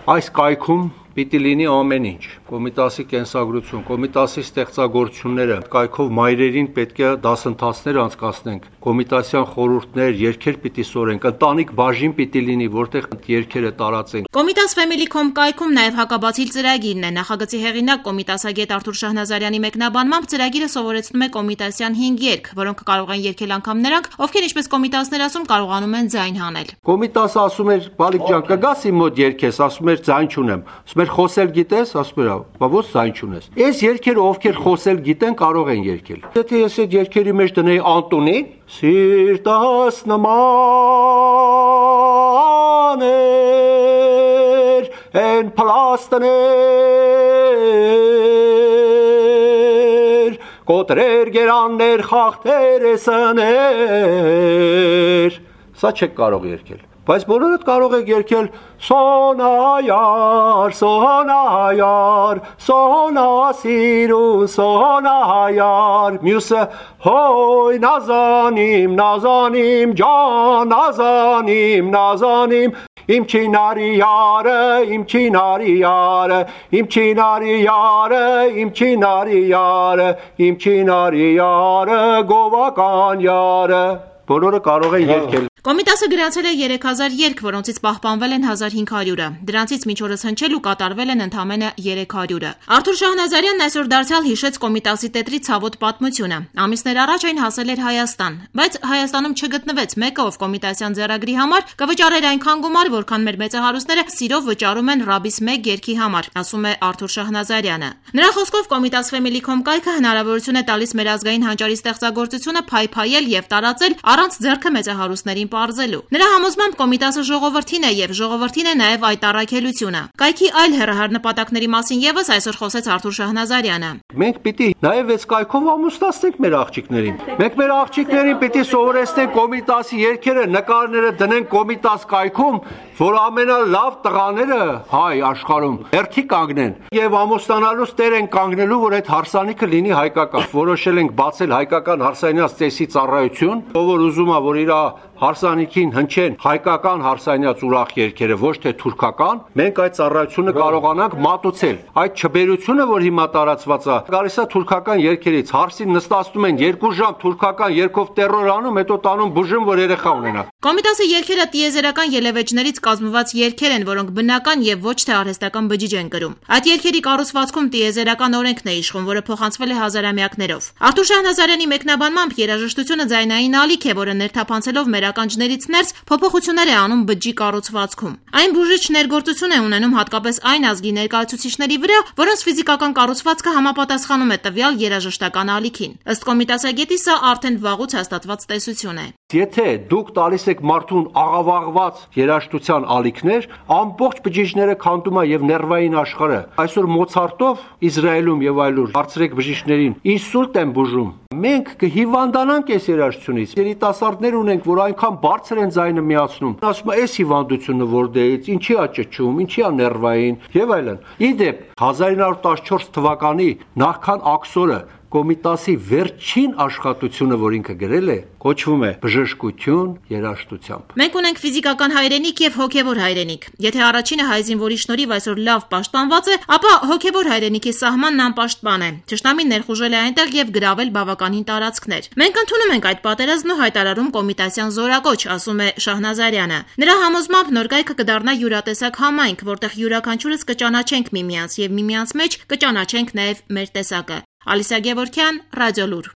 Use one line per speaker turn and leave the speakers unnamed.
Այս կայքում պիտի լինի ամեն ինչ, Կոմիտասի կենսագրություն, Կոմիտասի ստեղծագործությունները, կայքով մայրերին պետք է դասընթացներ անցկացնենք, Կոմիտասյան խորհուրդներ, երգեր պիտի սորենք, ընտանիք բաժին պիտի լինի, որտեղ երգերը տարածենք։
Կոմիտաս Family.com կայքում նաև հակաբացիլ ծրագիրն է։ Նախագծի հեղինակ Կոմիտասագետ Արթուր Շահնազարյանի մեկնաբանմամբ ծրագիրը սովորեցնում է Կոմիտասյան 5 երգ, որոնք կարող են երգել անգամ նրանք, ովքեր ինչպես Կոմիտասներ ասում կարողանում են ձայն հանել։
Կոմիտասը ասում էր՝ «Բալիկ ջան, կգաս իմ մոտ երգես», ասում էր՝ «Ձայն չունեմ»։ Ասում էր՝ «Խոսել գիտես», ասում էր՝ «Բա ո՞ց ձայն չունես»։ Այս երգերը ովքեր խոսել գիտեն կարող են երգել։ Եթե ես այդ երգերի մեջ դնեի Անտոնին, սիրտս նման էր են փլաստներ, կոտրեր գերաններ խախտեր էսներ, սա չեք կարող երգել։ Բայց բոլորդ կարող եք երգել Սոնայար, Սոնայար, Սոնա սիրուն, Սոնայար, մյուսը հոյ նազանիմ, նազանիմ ջան, նազանիմ, նազանիմ, իմ չինարիարը, իմ չինարիարը, իմ չինարիարը, իմ չինարիարը, իմ չինարիարը, գովական յարը։ Բոլորը կարող են երգել։
Կոմիտասը գրանցել է 3000 երգ, որոնցից պահպանվել են 1500-ը։ Դրանցից մինչ օրս հնչել ու կատարվել են ընդամենը 300-ը։ Արթուր Շահնազարյանն այսօր դարձյալ հիշեց Կոմիտասի տետրի ցավոտ պատմությունը։ Ամիսներ առաջ այն հասել էր Հայաստան, բայց Հայաստանում չգտնվեց մեկը, ով Կոմիտասյան ձեռագրի համար կվճարեր այնքան գումար, որքան մեր մեծահարուստները սիրով վճարում են Ռաբիս 1 երգի համար, ասում է Արթուր Շահնազարյանը։ Նրա խոսքով Կոմիտաս Family.com կայքը հնարավորություն է տալիս մեր ազգային հանճարի ստեղծագործությունը փայփայել եւ տարածել առանց ձեռքը մեծահարուստներին պարզելու։ Նրա համոզմամբ Կոմիտասը ժողովրդին է եւ ժողովրդին է նաեւ այդ առաքելությունը։ Կայքի այլ հեռահար նպատակների մասին եւս այսօր խոսեց Արթուր Շահնազարյանը։
Մենք պիտի նաեւ այս կայքով ամուսնացնենք մեր աղջիկներին։ Մենք մեր աղջիկներին պիտի սովորեցնենք Կոմիտասի երգերը, նկարները դնենք Կոմիտաս կայքում, որ ամենալավ տղաները հայ աշխարհում հերթի կանգնեն եւ ամուսնանալուց տեր են կանգնելու, որ այդ հարսանիքը լինի հայկական։ Որոշել ենք բացել հայկական հարսանյաց ծեսի ծառայություն, ով որ ուզում է, որ իր հարսանիքին հնչեն հայկական հարսանյաց ուրախ երգերը, ոչ թե թուրքական, մենք այդ ծառայությունը կարողանանք մատուցել։ Այդ չբերությունը, որ հիմա տարածված է, գալիս է թուրքական երգերից, հարսին նստացնում են 2 ժամ թուրքական երգով տերոր անում, հետո տանում բուժում, որ երեխա ունենա։
Կոմիտասի երգերը տիեզերական ելևէջներից կազմված երգեր են, որոնք բնական եւ ոչ թե արհեստական բջիջ են կրում։ Այդ երգերի կառուցվածքում տիեզերական օրենքն է իշխում, որը փոխանցվել է հազարամյակներով։ Արթուր Շահնազարյանի մեկնաբանմամբ երաժշտությունը ձայնային ալիք է, որը ներթափանցելով մեր ականջներից ներս փոփոխություններ է անում բջջի կառուցվածքում։ Այն բուժիչ ներգործություն է ունենում հատկապես այն ազգի ներկայացուցիչների վրա, որոնց ֆիզիկական կառուցվածքը համապատասխանում է տվյալ երաժշտական ալիքին։ Ըստ Կոմիտասագետի սա արդեն վաղուց հաստատված տեսություն է։
Եթե դուք տալիս եք մարդուն աղավաղված երաժշտության ալիքներ, ամբողջ բջիջները քանդում է եւ ներվային աշխարհը։ Այսօր Մոցարտով Իսրայելում եւ այլուր բարձրեք բժիշկներին ինսուլտ են բուժում։ Մենք կհիվանդանանք այս երաժշտությունից։ Երիտասարդներ ունենք, որ այնքան բարձր են ձայնը միացնում։ Ասում է, այս հիվանդությունը որտեղից, ինչի է ճճում, ինչի է ներվային եւ այլն։ Իդեպ 1914 թվականի նախքան աքսորը Կոմիտասի վերջին աշխատությունը, որ ինքը գրել է, կոչվում է Բժշկություն երաժշտությամբ։
Մենք ունենք ֆիզիկական հայրենիք եւ հոգեվոր հայրենիք։ Եթե առաջինը հայ զինվորի շնորհիվ այսօր լավ պաշտպանված է, ապա հոգեվոր հայրենիքի սահմանն անպաշտպան է։ Ճշտամին ներխուժել է այնտեղ եւ գրավել բավականին տարածքներ։ Մենք ընդունում ենք այդ պատերազմն ու հայտարարում Կոմիտասյան զորակոչ, ասում է Շահնազարյանը։ Նրա համոզմամբ նոր կայքը կդառնա յուրատեսակ համայնք, որտեղ յուրաքանչյուրս կճանաչենք միմյանց եւ միմյանց մեջ կճանաչենք նաեւ մեր տեսակը։ Ալիսա Գևորգյան, Ռադիոլուր։